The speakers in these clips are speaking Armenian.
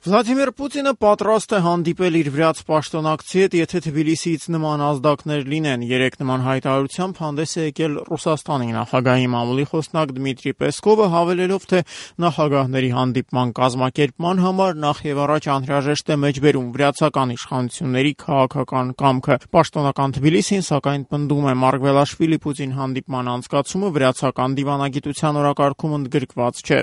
Վլադիմիր Պուտինը պատրաստ է հանդիպել իր վրաց պաշտոնակցի հետ, եթե Թբիլիսիից նման ազդակներ լինեն։ Երեկ նման հայտարարությամբ հանդես է եկել Ռուսաստանի նախագահի մամուլի խոսնակ Դմիտրի Պեսկովը, հավելելով, թե նախագահների հանդիպման կազմակերպման համար նախ եւ առաջ անհրաժեշտ է մեջբերում վրացական իշխանությունների քաղաքական կամքը։ Պաշտոնական Թբիլիսին, սակայն, պնդում է Մարգվելաշվիլի-Պուտին հանդիպման անցկացումը վրացական դիվանագիտության օրակարգում ընդգրկված չէ։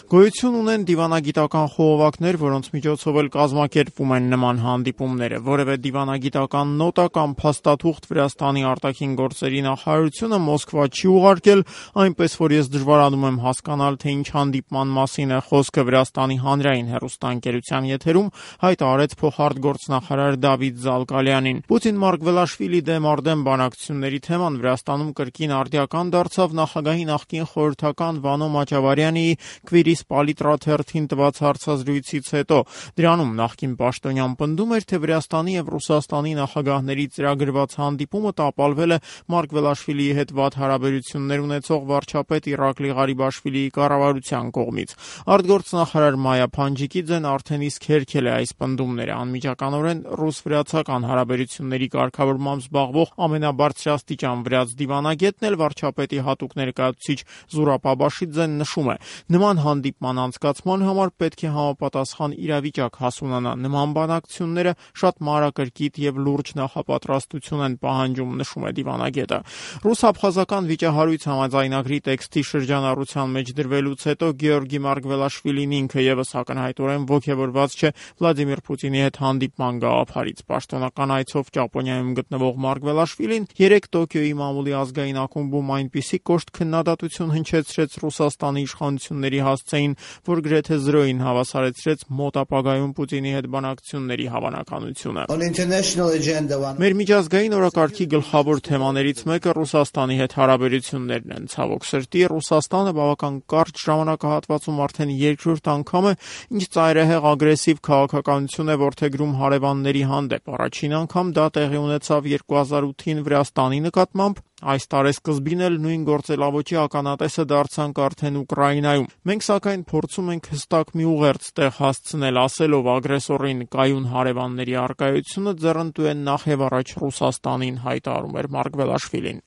Գոյություն ունեն դիվանագիտական խողովակներ, որոնց միջոցով էլ կազմակերպվում են նման հանդիպումները։ Որևէ դիվանագիտական նոտա կամ փաստաթուղթ Վրաստանի արտաքին գործերի նախարարությունը Մոսկվա չի ուղարկել, այնպես որ ես դժվարանում եմ հասկանալ, թե ինչ հանդիպման մասին է խոսքը Վրաստանի հանրային հեռուստաընկերության եթերում հայտարարեց փոխարտգործնախարար Դավիթ Զալկալյանին։ Պուտին-Մարգվելաշվիլի դեմ արդեն բանակցությունների թեման Վրաստանում կրկին արդիական դարձավ նախագահի նախկին խորհրդական Վանո Մաճավարյանի Քվիրիս Պալիտրա թերթին տված հարցազրույցից հետո։ Դրանում նախկին պաշտոնյան պնդում էր, թե Վրաստանի եւ Ռուսաստանի նախագահների ծրագրված հանդիպումը տապալվել է Մարգվելաշվիլիի հետ վատ հարաբերություններ ունեցող վարչապետ Իրակլի Ղարիբաշվիլիի կառավարության կողմից։ Արտգործնախարար Մայա Փանջիկիձեն արդեն իսկ հերքել է այս պնդումները։ Անմիջականորեն ռուս-վրացական հարաբերությունների կարգավորմամբ զբաղվող ամենաբարձրաստիճան վրաց դիվանագետն էլ վարչապետի հատուկ ներկայացուցիչ Զուրաբ Աբաշիձեն նշում է. նման հանդիպման անցկացման համար պետք է համապատասխան իրավիճակ հասունանա։ Նման բանակցությունները շատ մանրակրկիտ եւ լուրջ նախապատրաստություն են պահանջում, նշում է դիվանագետը։ Ռուս-աբխազական վիճահարույց համաձայնագրի տեքստի շրջանառության մեջ դրվելուց հետո Գեորգի Մարգվելաշվիլին ինքը եւս ակնհայտորեն ոգևորված չէ Վլադիմիր Պուտինի հետ հանդիպման գաղափարից։ Պաշտոնական այցով Ճապոնիայում գտնվող Մարգվելաշվիլին երեկ Տոկիոյի մամուլի ազգային ակումբում այնպիսի կոշտ քննադատություն հնչեցրեց Ռուսաստանի իշխանությունների հասցեին, որ գրեթե զրոյին հավասարեցրեց մոտ ապագայում Պուտինի հետ բանակցությունների հավանականությունը։ Մեր միջազգային օրակարգի գլխավոր թեմաներից մեկը Ռուսաստանի հետ հարաբերություններն են։ Ցավոք սրտի, Ռուսաստանը բավական կարճ ժամանակահատվածում արդեն երկրորդ անգամ է, ինչ ծայրահեղ ագրեսիվ քաղաքականություն է որդեգրում հարևանների հանդեպ։ Առաջին անգամ դա տեղի ունեցավ 2008-ին Վրաստանի նկատմամբ, այս տարեսկզբին էլ նույն գործելավոճի ականատեսը դարձանք արդեն Ուկրաինայում։ Մենք սակայն փորձում ենք հստակ մի ուղերձ տեղ հասցնել, ասելով ագրեսորին կայուն հարևանների առկայությունը ձեռնտու է նախ եւ առաջ Ռուսաստանին, հայտարարում էր Մարգվելաշվիլին։